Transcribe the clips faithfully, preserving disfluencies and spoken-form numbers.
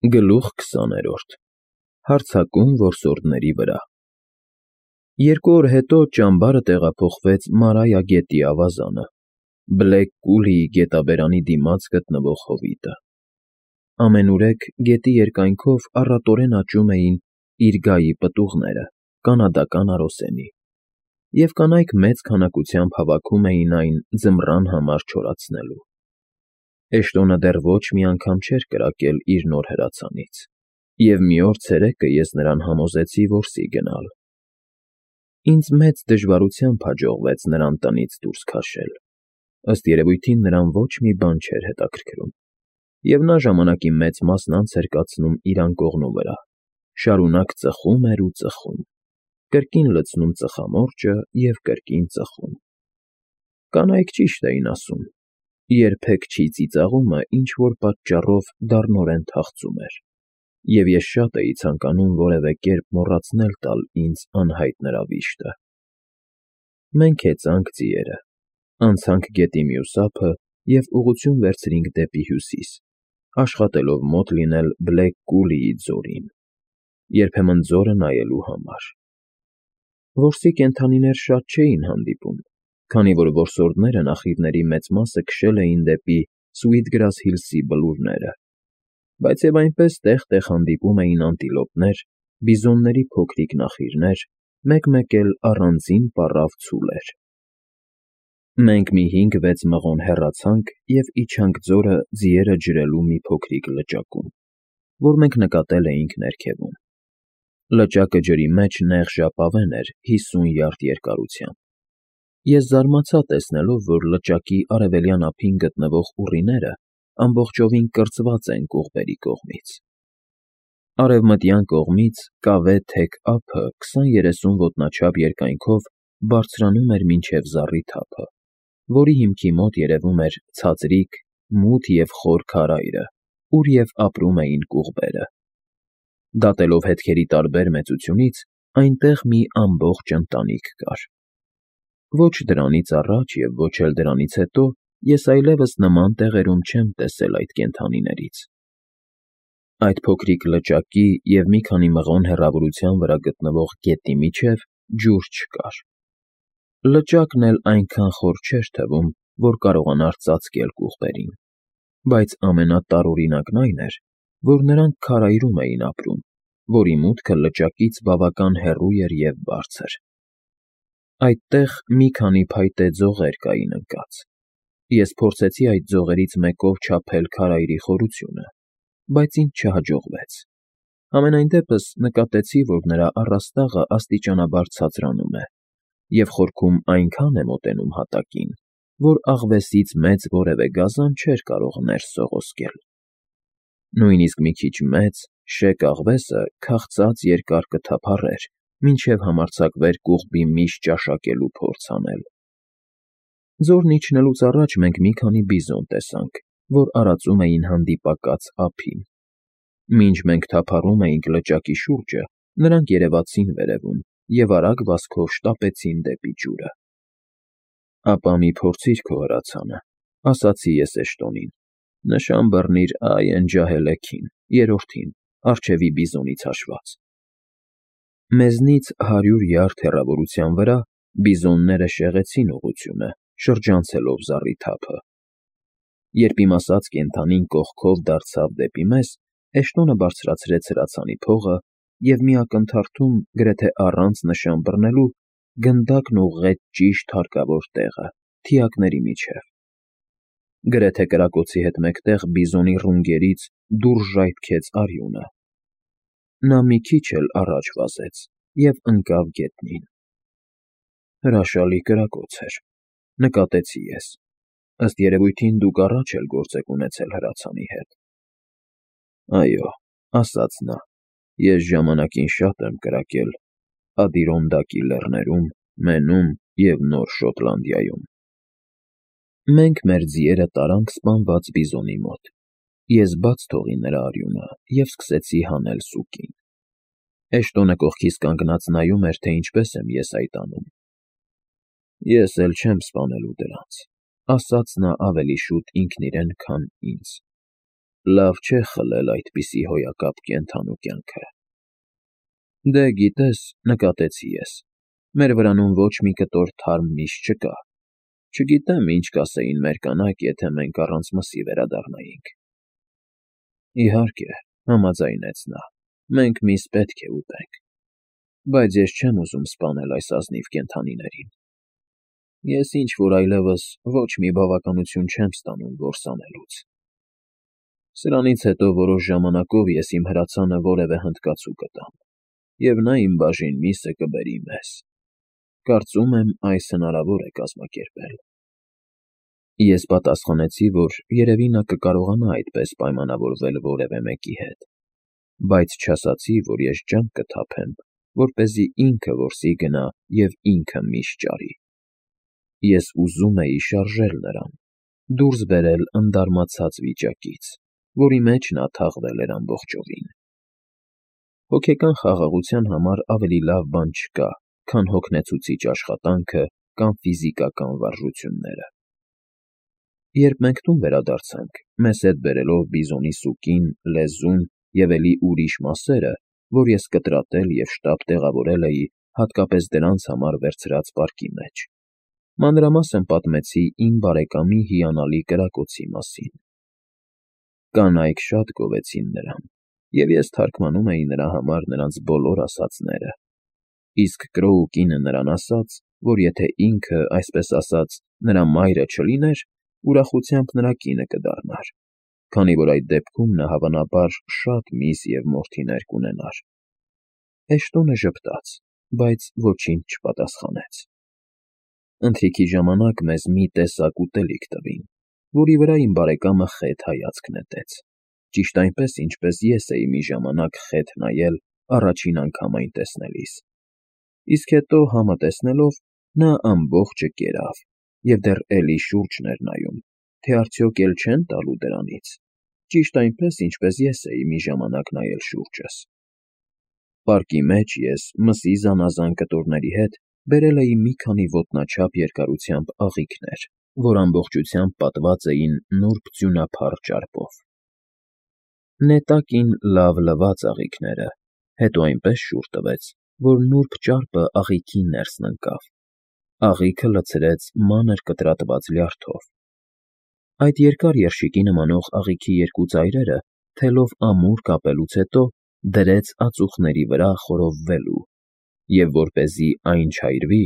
Գլուխ քսաներորդ Հարձակում որսորդների վրա Երկու օր հետո ճամբարը տեղափոխվեց Մարայա գետի ավազանը, Բլեք Կուլիի գետաբերանի դիմաց գտնվող հովիտը։ Ամենուրեք գետի երկայնքով առատորեն աճում էին իրգայի պտուղները, կանադական արոսենի, և կանայք մեծ քանակությամբ հավաքում էին այն ձմռան համար չորացնելու։ Էշտոնը դեռ ոչ մի անգամ չէր կրակել իր նոր հրացանից, և մի օր ցերեկը ես նրան համոզեցի որսի գնալ։ Ինձ մեծ դժվարությամբ հաջողվեց նրան տնից դուրս քաշել, ըստ երևույթին նրան ոչ մի բան չէր հետաքրքրում, և նա ժամանակի մեծ մասն անց էր կացնում իր անկողնու վրա, շարունակ ծխում էր ու ծխում, կրկին լցնում ծխամորճը և կրկին ծխում։ Կանայք ճիշտ էին ասում. երբեք չի ծիծաղումը ինչ-որ պատճառով դառնորեն թախծում էր, և ես շատ էի ցանկանում որևէ կերպ մոռացնել տալ ինձ անհայտ նրա վիշտը։ Մենք հեծանք ձիերը, անցանք գետի մյուս ափը և ուղղություն վերցրինք դեպի հյուսիս, աշխատելով մոտ լինել Բլեք Կուլիի ձորին, երբեմն ձորը նայելու համար։ Որսի կենդանիներ շատ չէին հանդիպում, քանի որ որսորդները նախիվների մեծ մասը քշել էին դեպի Սուիթգրաս Հիլսի բլուրները, բայց և այնպես տեղ֊տեղ հանդիպում էին անտիլոպներ, բիզոնների փոքրիկ նախիրներ, մեկ֊մեկ էլ առանձին պառավ ցուլեր։ Մենք մի հինգ֊վեց մղոն հեռացանք և իջանք ձորը ձիերը ջրելու մի փոքրիկ լճակում, որ մենք նկատել էինք ներքևում։ Լճակը ջրի մեջ նեղ ժապավեն էր հիսուն յարդ երկարությամբ։ Ես զարմացա տեսնելով, որ լճակի արևելյան ափին գտնվող ուռիները ամբողջովին կրծված են կողմերի կողմից։ Արևմտյան կողմից կավե թեք ափը քսան֊երեսուն ոտնաչափ երկայնքով բարձրանում էր մինչև զառիթափը, որի հիմքի մոտ երևում էր ցածրիկ, մութ և խոր քարայրը, ուր և ապրում էին կուղբերը։ Դատելով հետքերի տարբեր մեծությունից, այնտեղ մի ամբողջ ընտանիք կար։ Ոչ դրանից առաջ և ոչ էլ դրանից հետո ես այլևս նման տեղերում չեմ տեսել այդ կենդանիներից։ Այդ փոքրիկ լճակի և մի քանի մղոն հեռավորության վրա գտնվող գետի միջև ջուր չկար։ Լճակն էլ այնքան խոր չէր թվում, որ կարողանար ծածկել կուղբերին, բայց ամենատարօրինակն այն էր, որ նրանք քարայրում էին ապրում, որի մուտքը լճակից բավական հեռու էր և բարձր։ Այդտեղ մի քանի փայտե ձողեր կային ընկած։ Ես փորձեցի այդ ձողերից մեկով չափել քարայրի խորությունը, բայց ինձ չհաջողվեց։ Համենայն դեպս նկատեցի, որ նրա առաստաղը աստիճանաբար ցածրանում է, և խորքում այնքան է մոտենում հատակին, որ աղվեսից մեծ որևէ գազան չէր կարող ներս սողոսկել։ Նույնիսկ մի քիչ մեծ, շեկ աղվեսը քաղցած երկար կթափառեր, մինչև համարձակվեր կուղբի միշ ճաշակելու փորձ անել։ Ձորն իջնելուց առաջ մենք մի քանի բիզոն տեսանք, որ արածում էին հանդիպակաց ափին։ Մինչ մենք թափառում էինք լճակի շուրջը, նրանք երևացին վերևում և արագ վազքով շտապեցին դեպի ջուրը։ «Ապա մի փորձիր քո հրացանը,֊ ասացի ես Էշտոնին,֊ նշան բռնիր Այ Էն֊Ջահելեքին, երրորդին, առջևի բիզոնից հաշված»։ Մեզնից հարյուր յարդ հեռավորության վրա բիզոնները շեղեցին ուղղությունը, շրջանցելով զառիթափը։ Երբ իմ ասած կենդանին կողքով դարձավ դեպի մեզ, Էշտոնը բարձրացրեց հրացանի փողը և մի ակնթարթում, գրեթե առանց նշան բռնելու, գնդակն ուղղեց ճիշտ հարկավոր տեղը, թիակների միջև։ Գրեթե կրակոցի հետ մեկտեղ բիզոնի ռունգերից դուրս ժայթքեց արյունը։ Նա մի քիչ էլ առաջ վազեց և ընկավ գետնին։ Հրաշալի կրակոց էր, նկատեցի ես, ըստ երևույթին դուք առաջ էլ գործ եք ունեցել հրացանի հետ։ Այո, ասաց նա, ես ժամանակին շատ եմ կրակել Ադիրոնդակի լեռներում, Մենում և Նոր Շոտլանդիայում։ Մենք մեր ձիերը տարանք սպանված բիզոնի մոտ։ Ես բաց թողի նրա արյունը և սկսեցի հանել սուկին։ Էշտոնը կողքիս կանգնած նայում էր, թե ինչպես եմ ես այդ անում։ Ես էլ չեմ սպանելու դրանց,֊ ասաց նա ավելի շուտ ինքն իրեն, քան ինձ։ լավ չէ խլել այդպիսի հոյակապ կենդանու կյանքը։ Դե գիտես, նկատեցի ես, մեր վրանում ոչ մի կտոր թարմ միշ չկա, չգիտեմ ինչ կասեին մեր կանայք, եթե մենք առանց մսի վերադառնայինք։ Իհարկե, համաձայնեց նա, մենք միս պետք է ուտենք, բայց ես չեմ ուզում սպանել այս ազնիվ կենդանիներին։ Ես ինչ-որ այլևս ոչ մի բավականություն չեմ ստանում որս անելուց։ Սրանից հետո որոշ ժամանակով ես իմ հրացանը որևէ հնդկացու կտամ, և նա իմ բաժին միսը կբերի մեզ։ Կարծում եմ, այս հնարավոր է կազմակերպել։ Ես պատասխանեցի, որ երևի նա կկարողանա այդպես պայմանավորվել որևէ մեկի հետ, բայց չասացի, որ ես ջանք կթափեմ, որպեսզի ինքը որսի գնա և ինքը միշ ճարի։ Ես ուզում էի շարժել նրան, դուրս բերել ընդարմացած վիճակից, որի մեջ նա թաղվել էր ամբողջովին։ Հոգեկան խաղաղության համար ավելի լավ բան չկա, քան հոգնեցուցիչ աշխատանքը կամ ֆիզիկական վարժությունները։ Երբ մենք տուն վերադարձանք, մեզ հետ բերելով բիզոնի սուկին, լեզուն և էլի ուրիշ մասերը, որ ես կտրատել և շտապ տեղավորել էի հատկապես դրանց համար վերցրած պարկի մեջ, մանրամասն պատմեցի իմ բարեկամի հիանալի կրակոցի մասին։ Կանայք շատ գովեցին նրան, և ես թարգմանում էի նրա համար նրանց բոլոր ասածները, իսկ Կրոու կինը նրան ասաց, որ եթե ինքը, այսպես ասած, նրա մայրը չլիներ, ուրախությամբ նրա կինը կդառնար, քանի որ այդ դեպքում նա հավանաբար շատ միս և մորթիներ կունենար։ Էշտոնը ժպտաց, բայց ոչինչ չպատասխանեց։ Ընթրիքի ժամանակ մեզ մի տեսակ ուտելիք տվին, որի վրա իմ բարեկամը խետ հայացք նետեց, ճիշտ այնպես, ինչպես ես էի մի ժամանակ խետ նայել առաջին անգամ այն տեսնելիս, իսկ հետո, համը տեսնելով, նա ամբողջը կերավ և դեռ էլի շուրջն էր նայում, թե արդյոք էլ չեն տալու դրանից, ճիշտ այնպես, ինչպես ես էի մի ժամանակ նայել շուրջս։ Պարկի մեջ ես մսի զանազան կտորների հետ բերել էի մի քանի ոտնաչափ երկարությամբ աղիքներ, որ ամբողջությամբ պատված էին նուրբ ձյունափառ ճարպով։ Նետակին լավ լվաց աղիքները, հետո այնպես շուռ տվեց, որ նուրբ ճարպը աղիքի ներսն ընկավ։ Աղիքը լցրեց մանր կտրատված լյարդով։ Այդ երկար երշիկի նմանող աղիքի երկու ծայրերը թելով ամուր կապելուց հետո դրեց ածուխների վրա խորովվելու, և որպեսզի այն չայրվի,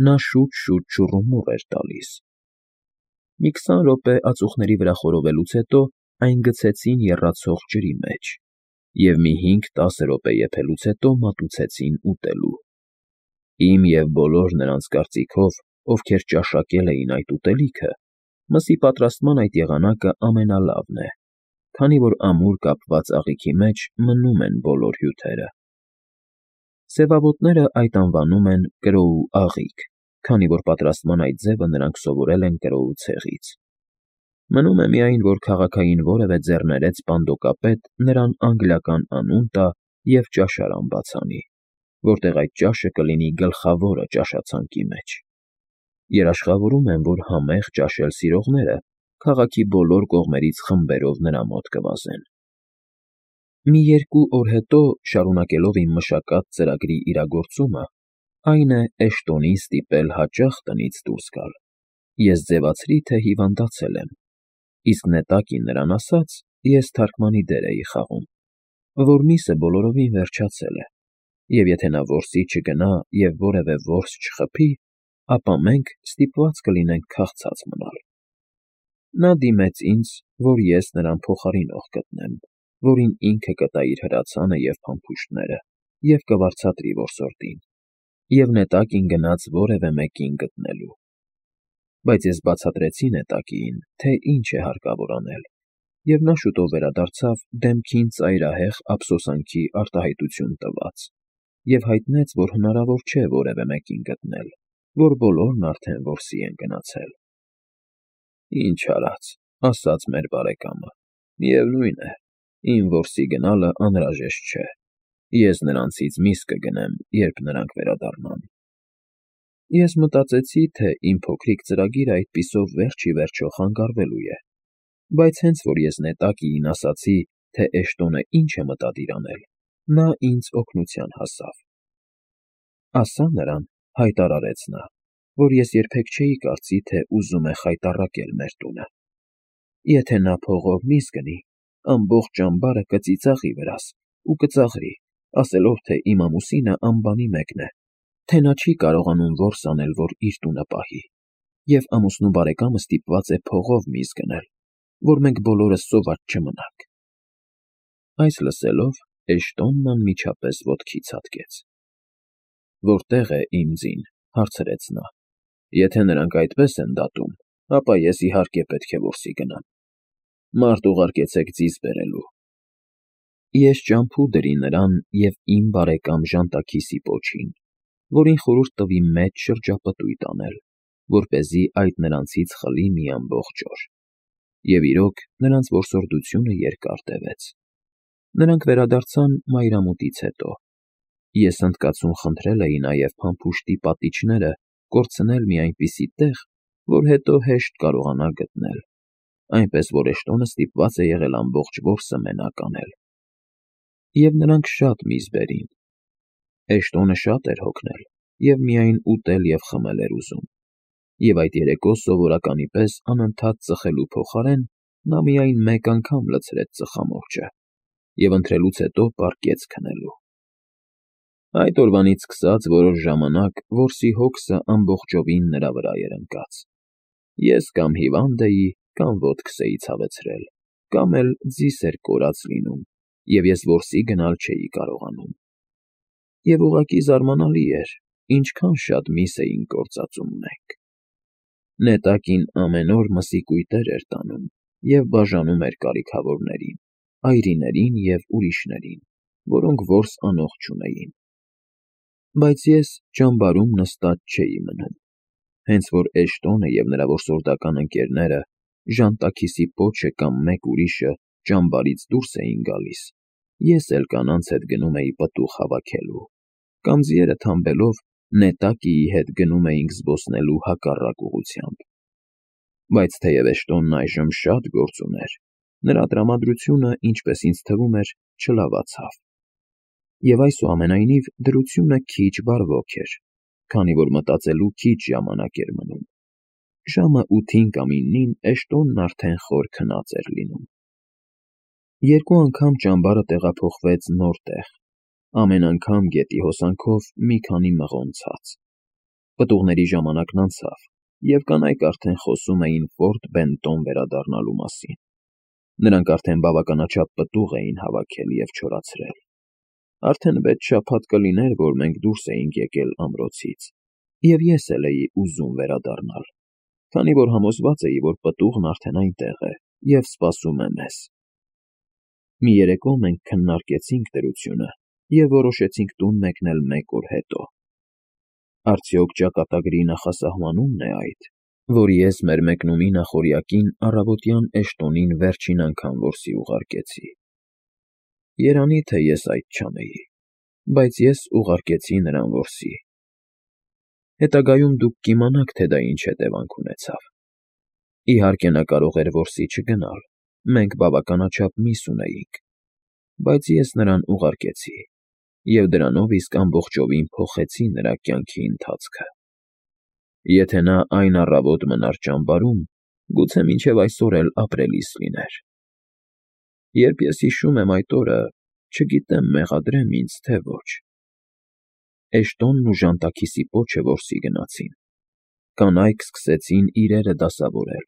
նա շուտ-շուտ շուռումուռ էր տալիս։ Մի քսան րոպե ածուխների վրա խորովելուց հետո այն գցեցին եռացող ջրի մեջ և մի հինգ֊տասը րոպե եփելուց հետո մատուցեցին ուտելու։ Իմ և բոլոր նրանց կարծիքով, ովքեր ճաշակել էին այդ ուտելիքը, մսի պատրաստման այդ եղանակը ամենալավն է, քանի որ ամուր կապված աղիքի մեջ մնում են բոլոր հյութերը։ Սևավոտները այդ անվանում են Կրոու աղիք, քանի որ պատրաստման այդ ձևը նրանք սովորել են Կրոու ցեղից։ Մնում է միայն, որ քաղաքային որևէ ձեռներեց պանդոկապետ նրան անգլիական անուն տա և ճաշարան բաց անի, որտեղ այդ ճաշը կլինի գլխավորը ճաշացանկի մեջ։ Երաշխավորում եմ, որ համեղ ճաշել սիրողները քաղաքի բոլոր կողմերից խմբերով նրա մոտ կվազեն։ Մի երկու օր հետո, շարունակելով իմ մշակած ծրագրի իրագործումը, այն է Էշտոնին ստիպել հաճախ տնից դուրս գալ, ես ձևացրի, թե հիվանդացել եմ, իսկ նետակին նրան ասաց, ես թարգմանի դեր էի խաղում, որ միսը բոլորովին վերջացել է, և եթե նա որսի չգնա և որևէ որս չխփի, ապա մենք ստիպված կլինենք քաղցած մնալ։ Նա դիմեց ինձ, որ ես նրան փոխարինող գտնեմ, որին ինքը կտա իր հրացանը և փամփուշտները և կվարձատրի որսորդին, և նետակին գնաց որևէ մեկին գտնելու։ Բայց ես բացատրեցի նետակիին, թե ինչ է հարկավոր անել, և նա շուտով վերադարձավ դեմքին ծայրահեղ ափսոսանքի արտահայտություն տված և հայտնեց, որ հնարավոր չէ որևէ մեկին գտնել, որ բոլորն արդեն որսի են գնացել։ Ինչ արած, ասաց մեր բարեկամը, միևնույն է, իմ որսի գնալը անհրաժեշտ չէ, ես նրանցից միս կգնեմ, երբ նրանք վերադառնան։ Ես մտածեցի, թե իմ փոքրիկ ծրագիրը այդպիսով վերջ ի վերջո խանգարվելու է, բայց հենց որ ես նետակիին ասացի, թե Էշտոնը ինչ է մտադիր անել, նա ինձ օգնության հասավ։ Ասա նրան, հայտարարեց նա, որ ես երբեք չէի կարծի, թե ուզում է խայտառակել մեր տունը։ Եթե նա փողով միս գնի, ամբողջ ճամբարը կծիծաղի վրաս ու կծաղրի, ասելով, թե իմ ամուսինը անբանի մեկն է, թե նա չի կարողանում որս անել, որ իր տունը պահի, և ամուսնու բարեկամը ստիպված է փողով միս գնել, որ մենք բոլորս սոված չմնանք։ Այս լսելով, Էշտոնն անմիջապես ոտքի ցատկեց։ Որտե՞ղ է իմ ձին, հարցրեց նա։ Եթե նրանք այդպես են դատում, ապա ես իհարկե պետք է որսի գնամ։ Մարդ ուղարկեցեք ձիզ բերելու։ Ես ճամփու դրի նրան և իմ բարեկամ Ժանտաքիսի պոչին, որին խորհուրդ տվի մեծ շրջապտույտ անել, որպեսզի այդ նրանցից խլի մի ամբողջ օր։ Եվ իրոք, նրանց որսորդությունը երկար տևեց։ Նրանք վերադարձան մայրամուտից հետո։ Ես ընդկացում խնդրել էի նաև փամփուշտի պատիչները կորցնել մի այնպիսի տեղ, որ հետո հեշտ կարողանա գտնել, այնպես որ Էշտոնը ստիպված է եղել ամբողջ որսը մենակ անել։ Եվ նրանք շատ միս բերին։ Էշտոնը շատ էր հոգնել և միայն ուտել և խմել էր ուզում, և այդ երեկո սովորականի պես անընդհատ ծխելու փոխարեն նա միայն մեկ անգամ լցրեց ծխամորճը և ընթրելուց հետո պառկեց քնելու։ Այդ օրվանից սկսած որոշ ժամանակ որսի հոգսը ամբողջովին նրա վրա էր ընկած։ Ես կամ հիվանդ էի, կամ ոտքս էի ցավեցրել, կամ էլ ձիս էր կորած լինում, և ես որսի գնալ չէի կարողանում։ Եվ ուղղակի զարմանալի էր, ինչքան շատ միս էինք գործածում մենք։ Նետակին ամեն օր մսի կույտեր էր տանում և բաժանում էր կարիքավորներին, այրիներին և ուրիշներին, որոնք որս անող չունեին։ Բայց ես ճամբարում նստած չէի մնում։ Հենց որ Էշտոնը և նրա որսորդական ընկերները, Ժանտաքիսի պոչը կամ մեկ ուրիշը ճամբարից դուրս էին գալիս, ես էլ կանանց հետ գնում էի պտուղ հավաքելու, կամ ձիերը թամբելով նետակիի հետ գնում էինք զբոսնելու հակառակ ուղղությամբ։ Բայց թեև Էշտոնն այժմ շատ գործ ուներ, նրա տրամադրությունը, ինչպես ինձ թվում էր, չլավացավ։ Եվ այսուամենայնիվ դրությունը քիչ բարվոք էր, քանի որ մտածելու քիչ ժամանակ էր մնում։ Ժամը ութին կամ իննին Էշտոնն արդեն խոր քնած էր լինում։ Երկու անգամ ճամբարը տեղափոխվեց նոր տեղ, ամեն անգամ գետի հոսանքով մի քանի մղոն ցած։ Պտուղների ժամանակն անցավ, և կանայք արդեն խոսում էին Ֆորտ Բենտոն վերադառնալու մասին։ Նրանք արդեն բավականաչափ պտուղ էին հավաքել և չորացրել։ Արդեն վեց շաբաթ կլիներ, որ մենք դուրս էինք եկել ամրոցից, և ես էլ էի ուզում վերադառնալ, քանի որ համոզված էի, որ պտուղն արդեն այնտեղ է և սպասում է մեզ։ Մի երեկո մենք քննարկեցինք դրությունը և որոշեցինք տուն մեկնել մեկ օր հետո։ Արդյոք ճակատագրի նախասահմանումն է այդ, որ ես մեր մեկնումի նախօրյակին առավոտյան Էշտոնին վերջին անգամ որսի ուղարկեցի։ Երանի թե ես այդ չանեի, բայց ես ուղարկեցի նրան որսի։ Հետագայում դուք կիմանաք, թե դա ինչ հետևանք ունեցավ։ Իհարկե, նա կարող էր որսի չգնալ, մենք բավականաչափ միս ունեինք, բայց ես նրան ուղարկեցի, և դրանով իսկ ամբողջովին փոխեցի նրա կյանքի ընթացքը։ Եթե նա այն առավոտ մնար ճամբարում, գուցե մինչև այսօր էլ ապրելիս լիներ։ Երբ ես հիշում եմ այդ օրը, չգիտեմ մեղադրեմ ինձ, թե ոչ։ Էշտոնն ու Ժանտաքիսի պոչը որսի գնացին։ Կանայք սկսեցին իրերը դասավորել։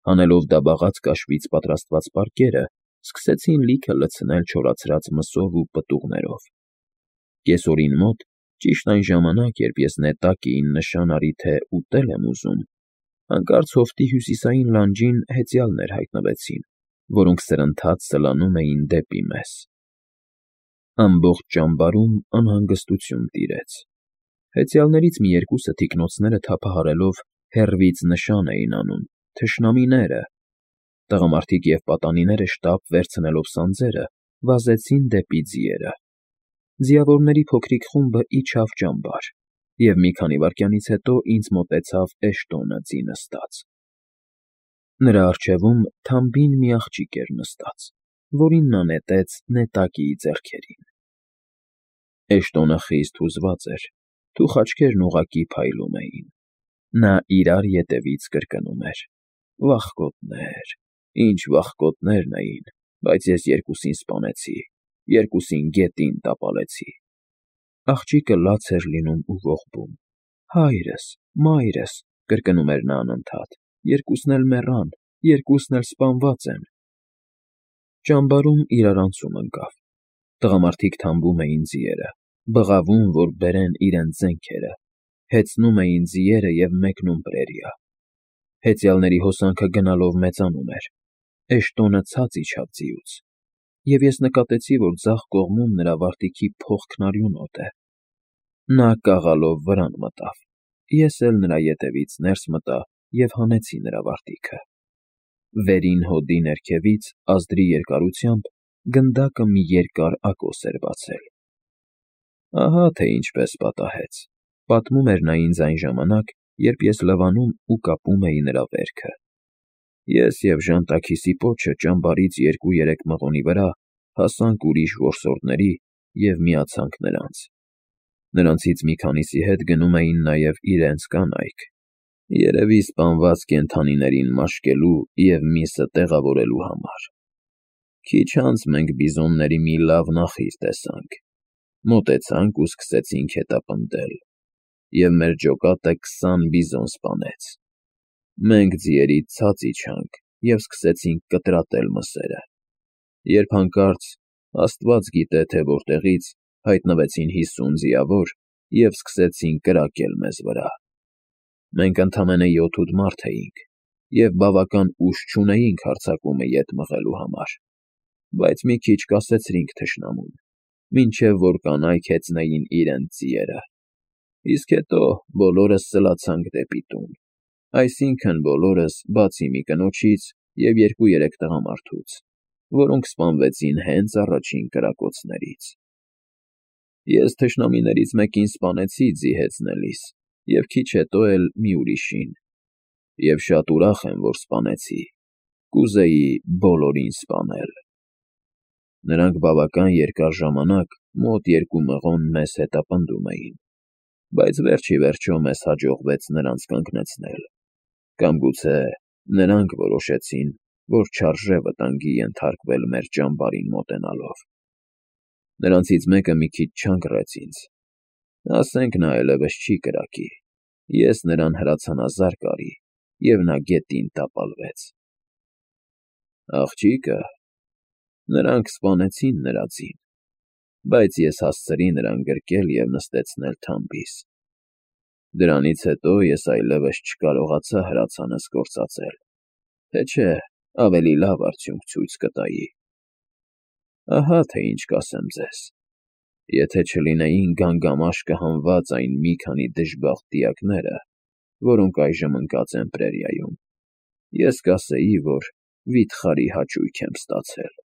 Հանելով դաբաղած կաշվից պատրաստված պարկերը, սկսեցին լիքը լցնել չորացած մսով ու պտուղներով։ Կեսօրին մոտ, ճիշտ այն ժամանակ, երբ ես նետակիին նշան արի, թե ուտել եմ ուզում, հանկարծ հովտի հյուսիսային լանջին հեծյալներ հայտնվեցին, որոնք սրընթաց սլանում էին դեպի մեզ։ Ամբողջ ճամբարում անհանգստություն տիրեց։ Հեծյալներից մի երկուսը թիկնոցները թափահարելով հեռվից նշան էին անում. «Թշնամիները»։ Տղամարդիկ և պատանիները շտապ վերցնելով սանձերը, վազեցին դեպի ձիերը։ Ձիավորների փոքրիկ խումբը իջավ ճամբար, և մի քանի վայրկյանից հետո ինձ մոտեցավ Էշտոնը ձի նստած։ Նրա առջևում թամբին մի աղջիկ էր նստած, որին նա նետեց նետակիի ձեռքերին։ Էշտոնը խիստ հուզված էր, թուխ աչքերն ուղղակի փայլում էին։ Նա իրար ետևից կրկնում էր. «Վախկոտներ, ինչ վախկոտներն էին, բայց ես երկուսին սպանեցի, երկուսին գետին տապալեցի»։ Աղջիկը լաց էր լինում ու ողբում։ «Հայրս, մայրս», կրկնում էր նա անընդհատ, «երկուսն էլ մեռան, երկուսն էլ սպանված են»։ Ճամբարում իրարանցում ընկավ։ Տղամարդիկ թամբում էին ձիերը, բղավում, որ բերեն իրենց զենքերը, հեծնում էին ձիերը և մեկնում պրերիա։ Հեծյալների հոսանքը գնալով մեծանում էր։ Էշտոնը ցած իջավ ձիուց, և ես նկատեցի, որ ձախ կողմում նրա վարտիքի փողքն արյունոտ է։ Նա կաղալով վրան մտավ։ Ես էլ նրա ետևից ներս մտա և հանեցի նրա վարտիքը։ Վերին հոդի ներքևից, ազդրի երկարությամբ, գնդակը մի երկար ակոս էր բացել։ Ահա թե ինչպես պատահեց, պատմում էր նա ինձ այն ժամանակ, երբ ես լվանում ու կապում էի նրա վերքը։ Ես և ժանտաքիսի պոչը ճամբարից երկու֊երեք մղոնի վրա հասանք ուրիշ որսորդների և միացանք նրանց։ Նրանցից մի քանիսի հետ գնում էին նաև իրենց կանայք, երևի սպանված կենդանիներին մաշկելու և միսը տեղավորելու համար։ Քիչ անց մենք բիզոնների մի լավ նախիր տեսանք, մոտեցանք ու սկսեցինք հետապնդել, և մեր ջոկատը քսան բիզոն սպանեց։ Մենք ձիերից ցած իջանք և սկսեցինք կտրատել մսերը, երբ հանկարծ, աստված գիտե թե որտեղից, հայտնվեցին հիսուն ձիավոր և սկսեցին կրակել մեզ վրա։ Մենք ընդամենը յոթ֊ութ մարդ էինք և բավական ուժ չունեինք հարձակումը ետ մղելու համար, բայց մի քիչ կասեցրինք թշնամուն, մինչև որ կանայք հեծնեին իրենց ձիերը, իսկ հետո բոլորս սլացանք դեպի տուն, այսինքն՝ բոլորս, բացի մի կնոջից և երկու֊երեք տղամարդուց, որոնք սպանվեցին հենց առաջին կրակոցներից։ Ես թշնամիներից մեկին սպանեցի ձի հեծնելիս և քիչ հետո էլ մի ուրիշին, և շատ ուրախ եմ, որ սպանեցի, կուզեի բոլորին սպանել։ Նրանք բավական երկար ժամանակ, մոտ երկու մղոն մեզ հետապնդում էին, բայց վերջ ի վերջո մեզ հաջողվեց նրանց կանգնեցնել, կամ գուցե նրանք որոշեցին, որ չարժե վտանգի ենթարկվել մեր ճամբարին մոտենալով։ Նրանցից մեկը մի քիչ չանգռեց ինձ, ասենք նա այլևս չի կրակի, ես նրան հրացանազարկ արի, և նա գետին տապալվեց։ Աղջիկը… նրանք սպանեցին նրա ձին, բայց ես հասցրի նրան գրկել և նստեցնել թամբիս։ Դրանից հետո ես այլևս չկարողացա հրացանս գործածել, թե չէ ավելի լավ արդյունք ցույց կտայի։ Ահա թե ինչ կասեմ ձեզ. եթե չլինեին գանգամաշ կհանված այն մի քանի դժբախտ դիակները, որոնք այժմ ընկած են պրերիայում, ես կասեի, որ վիթխարի հաճույք եմ ստացել։